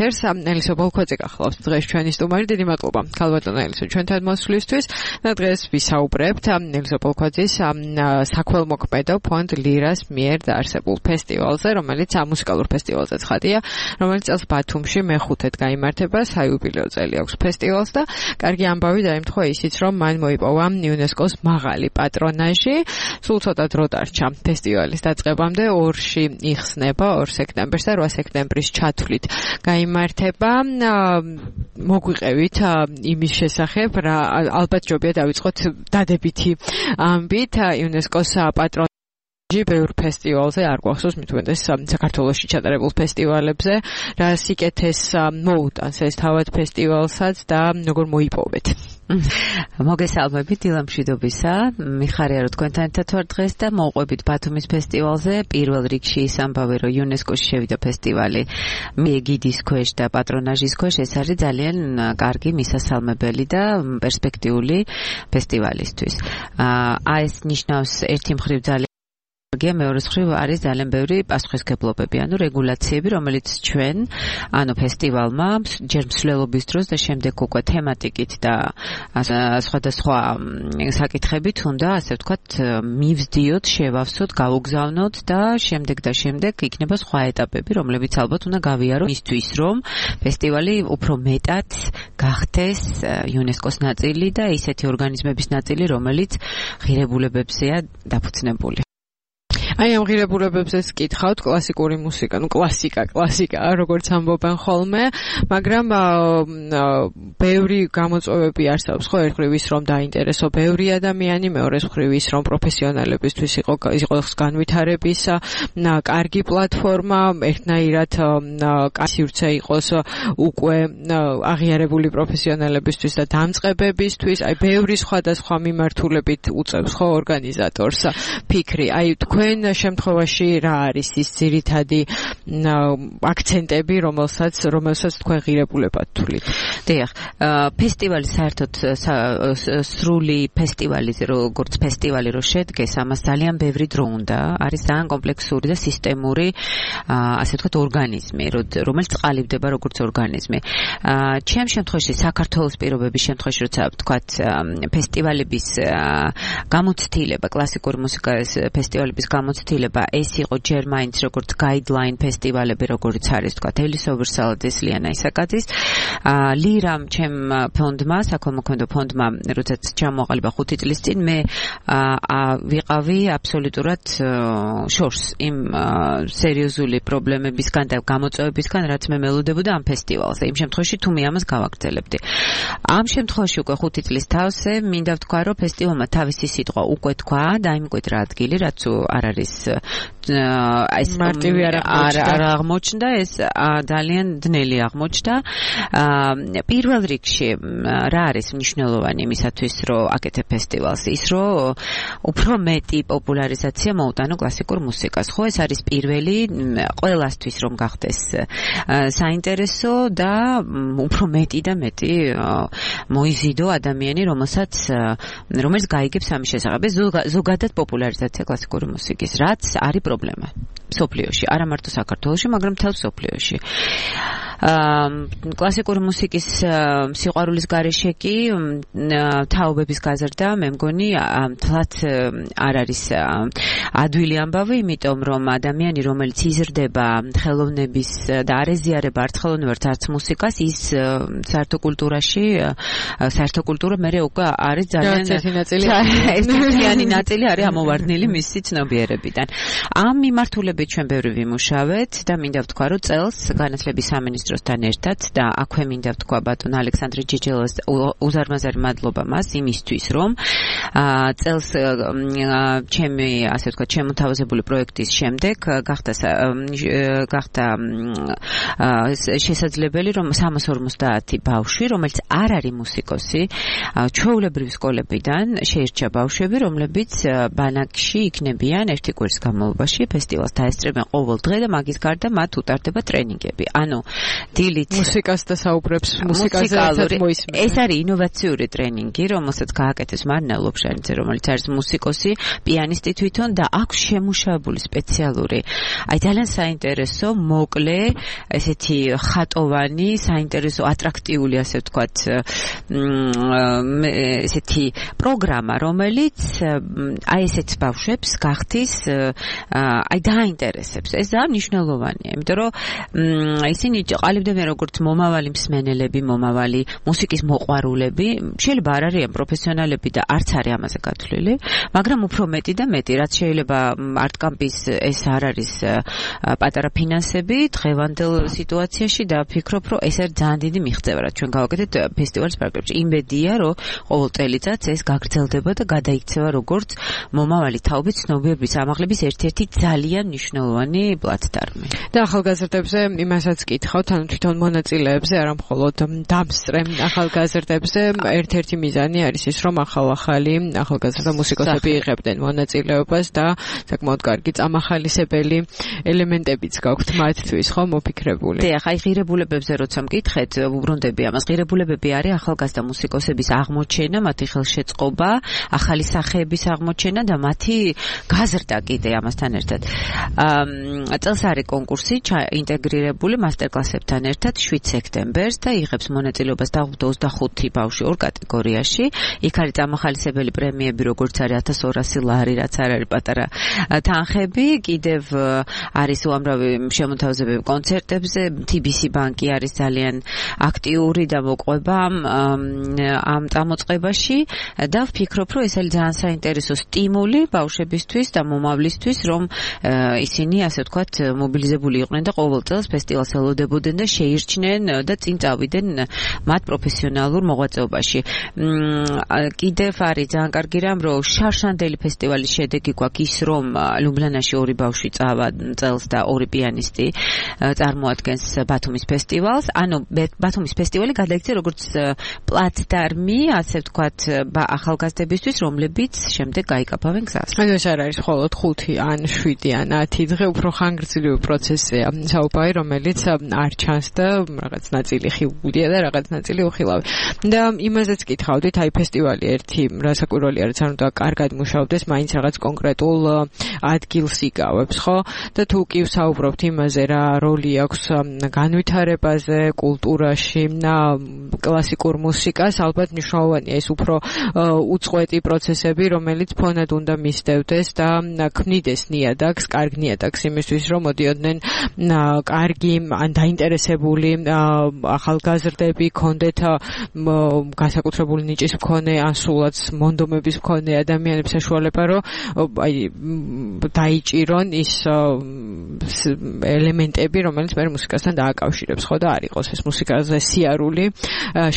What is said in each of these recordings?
ელისო ბოლქვაძე გახლავს დღეს ჩვენი სტუმარი. დიდი მადლობა ქალბატონო ელისო ჩვენთან მოსვლისთვის და დღეს ვისაუბრებთ ელისო ბოლქვაძის საქველმოქმედო ფონდ ლირას მიერ დაარსებულ ფესტივალზე, რომელიც მუსიკალურ ფესტივალზე ცხადია, რომელიც წელს ბათუმში მე-5-ად გაიმართება, საიუბილეო წელი აქვს ფესტივალს და კარგი ამბავი დაემთხვა ისიც, რომ მან მოიპოვა იუნესკოს მაღალი პატრონაჟი. სულ ცოტა დრო დარჩა ფესტივალის დაწყებამდე, 2-ში იხსნება 2 სექტემბერს და 8 სექტემბრის ჩათვლით გაიმართება. მოგვიყევით იმის შესახებ, რა ალბათ ჯობია დავიწყოთ დადებითი ამბით იუნესკოს პატრონაჟი ბევრ ფესტივალზე არ გვახსოვს, მით უმეტეს საქართველოში ჩატარებულ ფესტივალებზე, რა სიკეთეს მოუტანს ეს თავად ფესტივალსაც და როგორ მოიპოვეთ. მოგესალმებით დილამშვიდობისა, მიხარია რომ თქვენთან ერთად ვარ დღეს და მოვყვებით ბათუმის ფესტივალზე. პირველ რიგში ის ამბავი, რომ იუნესკოში შევიდა ფესტივალი ეგიდის ქვეშ და პატრონაჟის ქვეშ, ეს არის ძალიან კარგი მისასალმებელი და პერსპექტიული ფესტივალისთვის. ეს ნიშნავს ერთი მხრივ ძალიან მეორე მხრივ არის ძალიან ბევრი პასუხისმგებლობები, რეგულაციები, რომელიც ჩვენ, ფესტივალმა ჯერ მსვლელობის დროს და შემდეგ უკვე თემატიკით და სხვადასხვა საკითხებით უნდა, ასე ვთქვათ, მივსდიოთ, შევავსოთ, გავუგზავნოთ და შემდეგ იქნება სხვა ეტაპები, რომლებიც ალბათ უნდა გავიაროთ იმისთვის, რომ ფესტივალი უფრო მეტად გახდეს იუნესკოს ნაწილი და ისეთი ორგანიზმების ნაწილი, რომელიც ღირებულებებზეა დაფუძნებული. აი ამ ღირებულებებზეც კითხავთ, კლასიკური მუსიკა, კლასიკა, როგორც ამბობენ ხოლმე, მაგრამ ბევრი გამოწვევები არსებობს, ხო, ერთ მხრივ ის რომ დაინტერესო ბევრი ადამიანი, მეორე მხრივ ის რომ პროფესიონალებისთვის იყოს განვითარების კარგი პლატფორმა, ერთნაირად სივრცე იყოს უკვე აღიარებული პროფესიონალებისთვის და დამწყებებისთვის, აი ბევრი სხვადასხვა მიმართულებით უწევს ხო ორგანიზატორს ფიქრი. აი თქვენ შემთხვევაში რა არის ის ძირითადი აქცენტები, რომელსაც თქვენ ღირებულებად თვლით? დიახ, ფესტივალი საერთოდ სრული ფესტივალი, როგორც ფესტივალი რო შედგეს, ამას ძალიან ბევრი დრო უნდა. არის ძალიან კომპლექსური და სისტემური, ასე ვთქვათ, ორგანიზმი, რომელიც ყალიბდება როგორც ორგანიზმი. ჩემ შემთხვევაში საქართველოს პირობების შემთხვევაში, როცა ვთქვათ, ფესტივალების გამოცდილება, კლასიკური მუსიკის ფესტივალების გამოცდილება, ეს იყო ჯერ მაინც როგორც guideline ფესტივალები, როგორც არის თქვა ელისო ვერსალაძის, ლიანა ისაკაძის. ლირამ ჩემ ფონდმა, საქველმოქმედო ფონდმა, როდესაც ჩამოაყალიბა 5 წლის წინ, მე ვიყავი აბსოლუტურად შორს იმ სერიოზული პრობლემებისგან და გამოწვევებისგან, რაც მე მელოდებოდა ამ ფესტივალზე. იმ შემთხვევაში თუ მე ამას გავაგრძელებდი. ამ შემთხვევაში უკვე 5 წლის თავზე მინდა ვთქვა, რომ ფესტივალმა თავისი სიტყვა უკვე თქვა და იმკვეთრა ადგილი, რაც არ არის ეს მარტივი არ აღმოჩნდა, ეს ძალიან ძნელი აღმოჩნდა. პირველ რიგში რა არის მნიშვნელოვანი იმისათვის, რომ აკეთებ ფესტივალს? ის, რომ უფრო მეტი პოპულარიზაცია მოუტანო კლასიკურ მუსიკას. ხო, ეს არის პირველი ყველასთვის, რომ გახდეს საინტერესო და უფრო მეტი და მეტი მოიზიდო ადამიანი, რომელიც გაიგებს ამის შესახებ. ზოგადად პოპულარიზაცია კლასიკური მუსიკის, რაც არის პრობლემა მსოფლიოში, არა მარტო საქართველოში, მაგრამ მთელ მსოფლიოში. კლასიკური მუსიკის სიყვარულის გარეშე კი თაობების გაზრდა, მე მგონი, თლაც არ არის ადვილი ამბავი, იმიტომ რომ ადამიანი, რომელიც იზრდება ხელოვნების და არ ეზიარება არც ხელოვნებას, არც მუსიკას, ის საერთო კულტურა მე უკვე არის ძალიან ერთიანი ნაწილი არის ამოვარდნილი მისი ცნობიერებიდან. ამ მიმართულებით ჩვენ ბევრი ვიმუშავეთ და მინდა ვთქვა, რომ წელს განათლების სამინისტროსთან ერთად და აქვე მინდა ვთქვა ბატონ ალექსანდრე ჯეჯელას უზარმაზარი მადლობა მას იმისთვის, რომ წელს ჩემი, ასე ვთქვათ, შემოთავაზებული პროექტის შემდეგ გახდა შესაძლებელი, რომ 350 ბავშვი, რომელიც არ არის მუსიკოსი, ჩვეულებრივი სკოლებიდან შეირჩა ბავშვები, რომლებიც ბანაკში იქნებიან ერთი კვირის განმავლობაში, ფესტივალს დაესწრებენ ყოველ დღე და მაგის გარდა მათ უტარდება ტრენინგები. ანუ დილით მუსიკას და საუბრებს, მუსიკაზე ერთად მოისმენს. ეს არის ინოვაციური ტრენინგი, რომელსაც გააკეთებს მარინა ლობჟანიძე, რომელიც არის მუსიკოსი, პიანისტი თვითონ და აქვს შემუშავებული სპეციალური. აი ძალიან საინტერესო, მოკლე, ესეთი ხატოვანი, საინტერესო, ატრაქტიული, ასე ვთქვათ, ესეთი პროგრამა, რომელიც აი ესეთ ბავშვებს გახდის აი დააინტერესებს. ეს ძალიან მნიშვნელოვანია, იმიტომ რომ ისინი ყალიბდებიან როგორც მომავალი მსმენელები, მომავალი მუსიკის მოყვარულები, შეიძლება არ არიან პროფესიონალები და არც არის ამაზე გათვლილი, მაგრამ უფრო მეტი და მეტი, რაც შეიძლება არტკამპის ეს არ არის პატარა ფინანსები დღევანდელ სიტუაციაში და ვფიქრობ, რომ ეს არის ძალიან დიდი მიღწევა, რაც ჩვენ გავაკეთეთ ფესტივალის პროგრამაში. იმედია, რომ ყოველ წელიწადს ეს გაგრძელდება და გადაიქცევა როგორც მომავალი თაობის ცნობიერების ამაღლების ერთ-ერთი ძალიან მნიშვნელოვანი პლატფორმი. და ახალგაზრდებზე იმასაც კითხავთ, ანუ თვითონ მონაწილეებზე, არა მხოლოდ დამსწრე ახალგაზრდებზე, ერთ-ერთი მიზანი არის ის, რომ ახალ-ახალი ახალგაზრდა მუსიკოსები იღებდნენ მონაწილეობას და საკმაოდ კარგი წამახალისებელი ელემენტებიც გაქვთ მათთვის, ხო, მოფიქრებული. ახლა ღირებულებებზე როცა მკითხეთ, უბრუნდები ამას. ღირებულებები არის ახალგაზრდა მუსიკოსების აღმოჩენა, მათი ხელშეწყობა, ახალი სახეების აღმოჩენა და მათი გაზრდა კიდე ამასთან ერთად. წელს არის კონკურსი ინტეგრირებული მასტერკლასებთან ერთად 7 სექტემბერს და იღებს მონაწილეობას დაუბრუნდა 25 ბავშვი ორ კატეგორიაში. იქ არის წამახალისებელი პრემიები, როგორც არის 1200 ლარი, რაც არ არის პატარა თანხები. კიდევ არის უამრავი შემოთავაზებები კონცერტებზე. TBC ბანკი არის ძალიან აქტიური და მოყვება ამ წამოწყებაში და ვფიქრობ, რომ ეს არის ძალიან საინტერესო სტიმული ბავშვებისთვის და მომავლისთვის, რომ ისინი, ასე ვთქვათ, მობილიზებული იყვნენ და ყოველ წელს ფესტივალს ელოდებოდნენ და შეირჩნენ და წინ წავიდნენ მათ პროფესიონალურ მოღვაწეობაში. კიდევ არის ძალიან კარგი რამ, რომ შარშანდელი ფესტივალის შედეგი გვაქვს ის, რომ ლუბლიანაში 2 ბავშვი წავა წელს და 2 პიანისტი წარმოადგენს ბათუმის ფესტივალს. ანუ ბათუმის ფესტივალი გადაიქცა როგორც პლატფორმი, ასე ვთქვათ, ახალგაზრდებისთვის, რომლებიც შემდეგ გაიკაფავენ გზას. ანუ ეს არ არის მხოლოდ 5 ან 7 ან 10 დღე, უფრო ხანგრძლივი პროცესია საუბარი, რომელიც არ ჩანს და რაღაც ნაწილი ხიულია და რაღაც ნაწილი უხილავი. და იმაზეც კითხავდით, აი ფესტივალი ერთი რასაკვირველია, რაც არ უნდა კარგად მუშაობდეს, მაინც რაღაც კონკრეტულ ადგილს იკავებს, ხო? და თუ კი ვსაუბრობთ იმაზე, რა როლი აქვს განვითარებაზე, კულტურაში, კლასიკურ მუსიკას, ალბათ მნიშვნელოვანია ეს უფრო უწყვეტი პროცესები, რომელიც ფონად უნდა მისდევდეს და ქმნიდეს ნიადაგს, კარგ ნიადაგს იმისთვის, რომ მოდიოდნენ კარგი ან დაინტერესებული ახალგაზრდები, ქონდეთ განსაკუთრებული ნიჭის მქონე, ან სულაც მონდომების მქონე ადამიანებს საშუალება, რომ აი დაიჭირონ ის ელემენტები, რომელიც მე მუსიკასთან დააკავშირებს, ხო და არ იყოს ეს მუსიკაზე სიარული,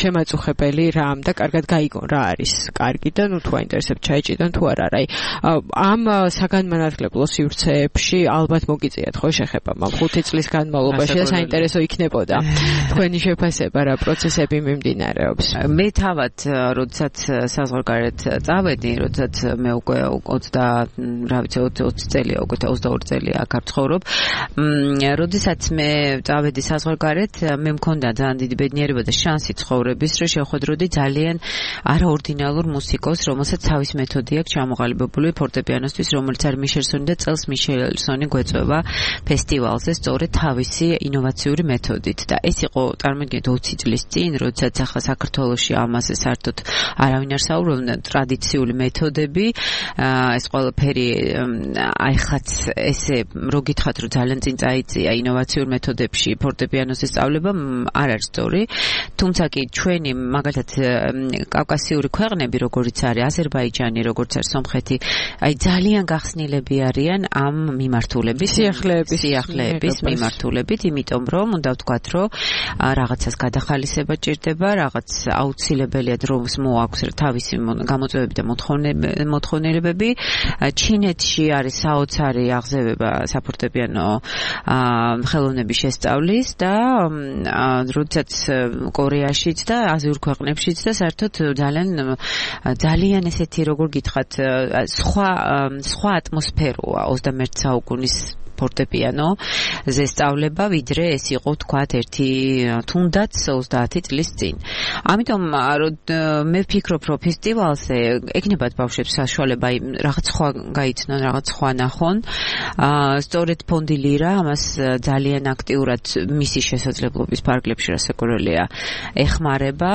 შემაწუხებელი რამ და კარგად გაიგონ რა არის კარგი და ნუ თუ აინტერესებს ჩაიჭიდან თუ არ არის. ამ საგანმანათლებლო სივრცეებში ალბათ მოგიწიათ ხო შეხება ამ 5 წლის განმავლობაში და საინტერესო იქნებოდა თქვენი შეფასება რა პროცესები მიმდინარეობს. მე თავად როდესაც საზღვარგარეთ წავედი, როდესაც მე უკვე 20 წელია, უკვე 22 წელია აქ ვცხოვრობ. როდესაც მე წავედი საზღვარგარეთ, მე მქონდა ძალიან დიდი ბედნიერება და შანსი ცხოვრების, რომ შევხვედროდი ძალიან არაორდინალურ მუსიკოს, რომელსაც თავის მეთოდი აქვს ჩამოყალიბებული ფორტეპიანოსთვის, რომელიც არის მიშელსონი და წელს მიშელსონი გვეწვევა ფესტივალზე სწორედ თავისი ინოვაციური მეთოდით. და ეს იყო წარმოგიდგენთ 20 წლის წინ, როდესაც ახლა საქართველოში ამაზე საერთოდ არავინ არ საუბრობდა, ტრადიციული მეთოდები, ეს ყველაფერი აიხაც ესე რო გითხრათ, რომ ძალიან წინ წაიწია ინოვაციურ მეთოდებში ფორტეპიანოს სწავლება, არ არის სწორი. თუმცა კი ჩვენი მაგალითად კავკასიური ქვეყნები, როგორიც არის აზერბაიჯანი, როგორც არის სომხეთი, აი ძალიან გახსნილები არიან ამ მიმართულების, სიახლეების მიმართულებით, იმიტომ რომ უნდა ვთქვათ, რომ რაღაცას გადახალისება ჭირდება, რაღაც აუცილებელია დროს მოაქვს თავისი გამოწვევები და მოთხოვნილებები. ჩინეთში არის საოცარი აღზევება საფორტეპიანო ხელოვნების შესწავლის და როდესაც კორეაშიც და აზიურ ქვეყნებშიც და საერთოდ ძალიან ესეთი როგორ გითხრათ სხვა ატმოსფეროა 21 საუკუნის ფორტეპიანოზე სწავლება, ვიდრე ეს იყო თქვათ ერთი თუნდაც 30 წლის წინ. ამიტომ მე ვფიქრობ, რომ ფესტივალზე ეკნებათ ბავშვებს საშუალება რაღაც სხვა გაიცნონ, რაღაც სხვა ნახონ. სწორედ ფონდი ლირა ამას ძალიან აქტიურად მისი შესაძლებლობის ფარგლებში რასაკვირველია ეხმარება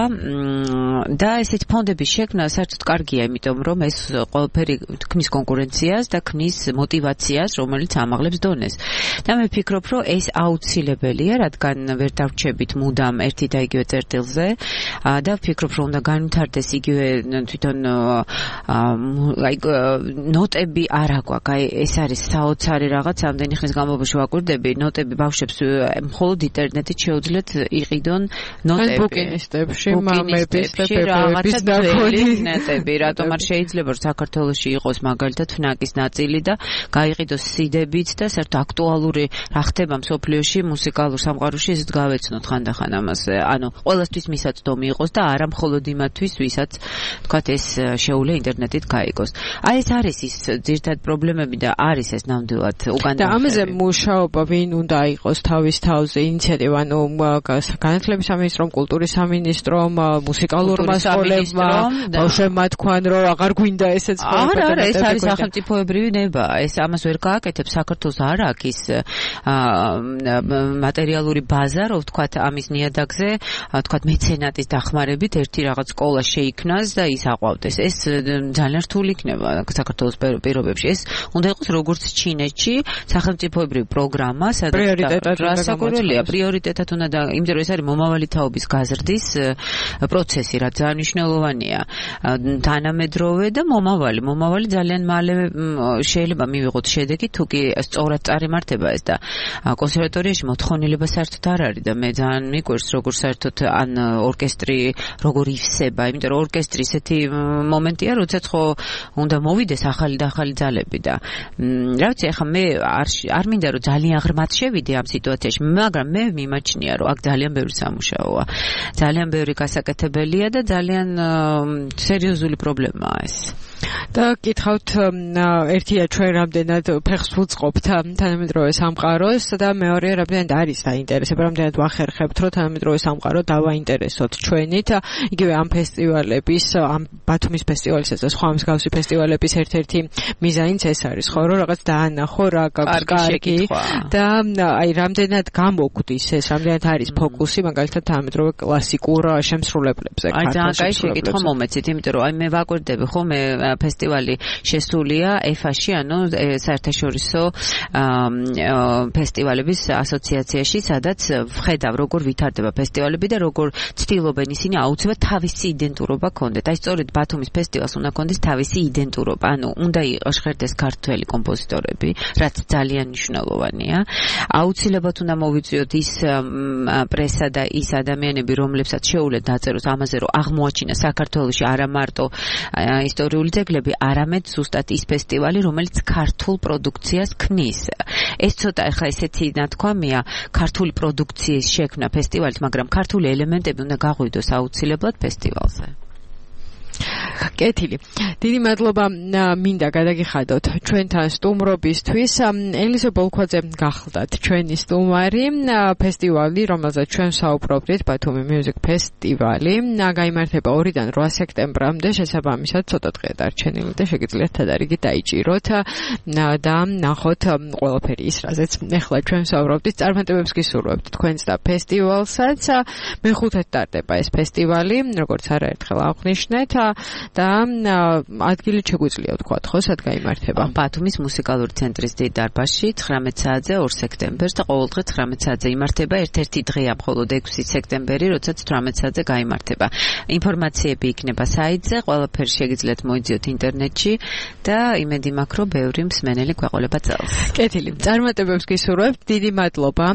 და ესეთ ფონდების შექმნა საერთოდ კარგია, იმიტომ რომ ეს ყველაფერი ქმნის კონკურენციას და ქმნის მოტივაციას, რომელიც ამაღლებს დონეს. და მე ვფიქრობ, რომ ეს აუცილებელია, რადგან ვერ დავრჩებით მუდამ ერთი და იგივე წერტილზე და ვფიქრობ, რომ უნდა განვითარდეს იგივე თვითონ ნოტები არ აქვს. აი ეს არის საოცარი რაღაც, ამდენი ხნის განმავლობაში ვაკვირდები, ნოტები ბავშვებს მხოლოდ ინტერნეტით შეუძლიათ იყიდონ ნოტები. ბუკინისტებში, მამების და ბებების ნოტები, რატომ არ შეიძლება რომ საქართველოში იყოს მაგალითად ფნაკის ნაწილი და გაიყიდოს სიდებიც და საერთოდ აქტუალური რა ხდება მსოფლიოში მუსიკალურ სამყაროში ისეთ გავეცნოთ ხანდახან ამაზე. ანუ ყველასთვის მისაწვდომი იყოს და არა მხოლოდ იმათთვის, ვისაც თქვათ ეს შეუძლია ინტერნეტით გაიგოს. აი ეს არის ის ძირითადი პრობლემები და არის ეს ნამდვილად უგანდა. და ამაზე მუშაობა ვინ უნდა იყოს თავის თავზე ინიციატივა, ანუ განათლების სამინისტრომ, კულტურის სამინისტრომ, მუსიკალურმა სკოლებმა, ბავშვებმა თქვან, რომ აღარ გვინდა ესეც არა, ეს არის სახელმწიფოებრივი ნება. ეს ამას ვერ გააკეთებს საქართველოს არ აქვს ის მატერიალური ბაზა, რომ ვთქვათ ამის ნიადაგზე, ვთქვათ მეცენატის დახმარებით ერთი რაღაც სკოლა შეიქმნას და ის აყვავდეს. ეს ძალიან რთული იქნება საქართველოს პირობებში. ეს უნდა იყოს როგორც ჩინეთში სახელმწიფოებრივი პროგრამა, სადაც რასაკვირველია პრიორიტეტად უნდა, იმიტომ რომ ეს არის მომავალი თაობის გაზრდის პროცესი, რაც ძალიან მნიშვნელოვანია. თანამედროვე და მომავალი ძალიან მალე შეიძლება მივიღოთ შედეგი, თუ კი სწორად წარიმართება ეს და კონსერვატორიაში მოთხოვნილება საერთოდ არ არის და მე ძალიან მიკვირს როგორ საერთოდ ან ორკესტრი როგორ ივსება, იმიტომ რომ ორკესტრი ესეთი მომენტია, როდესაც ხო უნდა მოვიდეს ახალი და ახალი ძალები და რა ვიცი, ახლა მე არ მინდა რომ ძალიან ღრმად შევიდე ამ სიტუაციაში, მაგრამ მე მიმაჩნია რომ აქ ძალიან ბევრი სამუშაოა, ძალიან ბევრი გასაკეთებელია და ძალიან სერიოზული პრობლემაა ეს. და გითხავთ, ერთია ჩვენ რამდენად ფეხს ვუწყობთ თანამედროვე სამყაროს და მეორეა რამდენად არის დაინტერესება, რამდენად ვახერხებთ, რომ თანამედროვე სამყარო დავაინტერესოთ ჩვენით. იგივე ამ ფესტივალების, ამ ბათუმის ფესტივალისა და სხვა მსგავსი ფესტივალების ერთ-ერთი მიზანიც ეს არის, ხო, რომ რაღაც დაანახო რა გაქვს კარგი და აი რამდენად გამოგვდის ეს, რამდენად არის ფოკუსი მაგალითად თანამედროვე კლასიკურ შემსრულებლებზე. აი ძალიან კაი შეკითხვა მომეცით, იმიტომ რომ აი მე ვაკვირდები ხო, მე ფესტივალი შესულია EFA-ში, ანუ საერთაშორისო ფესტივალების ასოციაციაში, სადაც ვხედავ როგორ ვითარდება ფესტივალები და როგორ ცდილობენ ისინი აუცილებლად თავისი იდენტურობა ქონდეთ. აი სწორედ ბათუმის ფესტივალს უნდა ქონდეს თავისი იდენტურობა, ანუ უნდა ჟღერდეს ქართველი კომპოზიტორები, რაც ძალიან მნიშვნელოვანია. აუცილებლად უნდა მოვიწვიოთ ის პრესა და ის ადამიანები, რომლებსაც შეუძლია დაწეროს ამაზე, რომ აღმოაჩინა საქართველოში არა მარტო ისტორიული ძეგლები, არამედ ზუსტად ის ფესტივალი, რომელიც ქართულ პროდუქციას ქმნის. ეს ცოტა ახლა ესეთი ნათქვამია, ქართული პროდუქციის შექმნა ფესტივალით, მაგრამ ქართული ელემენტები უნდა გაღვიდოს აუცილებლად ფესტივალზე. კეთილი. დიდი მადლობა მინდა გადაგიხადოთ ჩვენთან სტუმრობისთვის. ელიზო ბოლქვაძე გახლდათ ჩვენი სტუმარი. ფესტივალი, რომელზეც ჩვენ საუბრობდით, ბათუმი Music Festival-ი, გაიმართება 2-დან 8 სექტემბრამდე, შესაბამისად ცოტა დღეა დარჩენილი და შეგიძლიათ თადარიგი დაიჭიროთ და ნახოთ ყველაფერი ის, რაზეც ახლა ჩვენ საუბრობდით. წარმატებებს გისურვებთ თქვენს და ფესტივალსაც. მე-5-ით ტარდება ეს ფესტივალი, როგორც არაერთხელ აღვნიშნეთ. და ადგილი შეგვიძლია ვთქვათ, ხო, სად გაიმართება? ბათუმის მუსიკალური ცენტრის დიდ დარბაზში 19 საათზე 2 სექტემბერს და ყოველდღე 19 საათზე იმართება. ერთ-ერთი დღეა მხოლოდ 6 სექტემბერი, როდესაც 18 საათზე გაიმართება. ინფორმაციები იქნება საიტზე, ყველაფერი შეგიძლიათ მოიძიოთ ინტერნეტში და იმედი მაქვს, რომ ბევრი მსმენელი გვეყოლება წელს. კეთილი. წარმატებებს გისურვებთ. დიდი მადლობა.